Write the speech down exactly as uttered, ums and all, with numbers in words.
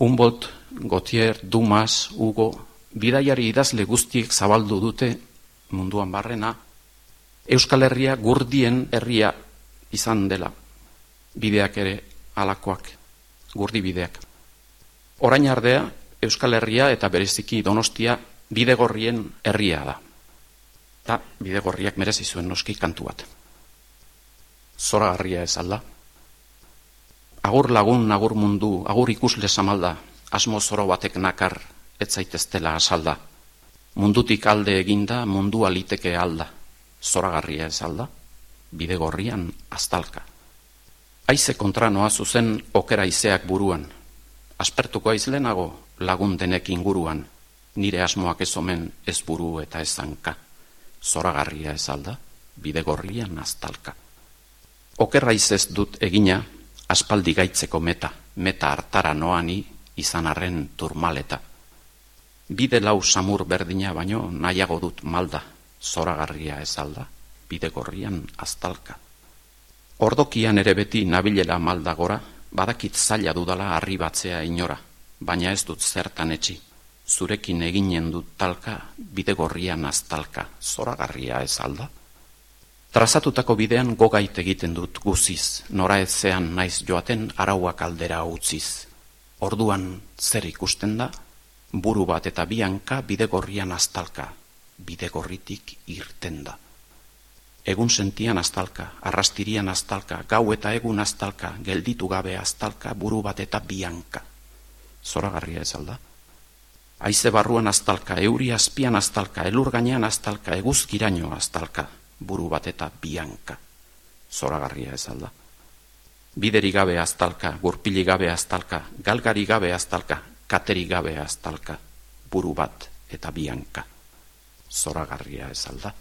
Humboldt, Gautier, Dumas, Hugo, bidaiari idazle guztiek zabaldu dute munduan barrena, Euskal Herria gurdien herria izan dela, bideak ere alakoak, gurdi bideak. Orain ardea, Euskal Herria eta bereziki Donostia bidegorrien herria da. Eta bidegorriak merezi zuen noski kantu bat. Zoragarria ez alda. Agur lagun, agur mundu, agur ikusle samalda, asmo zoro batek nakar, ez zaiteztela asalda. Mundutik alde eginda, mundua liteke alda. Zoragarria ez alda, bidegorrian aztalka. Haize kontra noa zuzen okera izeak buruan. Aspertuko aizlenago lagun denek inguruan, nire asmoak ez omen ez buru eta ez hanka. Zoragarria ez alda, bidegorrian aztalka. Okerra izez dut egina, aspaldi gaitzeko meta, meta hartara noani izan arren turmaleta. Bide lau samur berdina baino nahiago dut malda, zoragarria ez alda, bidegorrian aztalka. Ordokian ere beti nabilela malda gora, badakit zaila dudala arribatzea inora, baina ez dut zertan etxi. Zurekin eginen dut talka, bidegorrian aztalka, zoragarria ez alda. Trazatutako bidean gogait egiten dut guziz, nora ezean naiz joaten arauak aldera utziz. Orduan zer ikusten da? Buru bat eta bianka bidegorrian aztalka, bidegorritik irten da. Egun sentian aztalka, arrastirian aztalka, gau eta egun aztalka, gelditu gabe aztalka, buru bat eta bianka. Zoragarria ez alda? Haize barruan aztalka, euri azpian aztalka, elur gainean aztalka, eguzkiraino aztalka, buru bat eta bianka. Zoragarria ez alda? Bideri gabe aztalka, gurpili gabe aztalka, galgari gabe aztalka, kateri gabe aztalka, buru bat eta bianka. Zoragarria ez alda?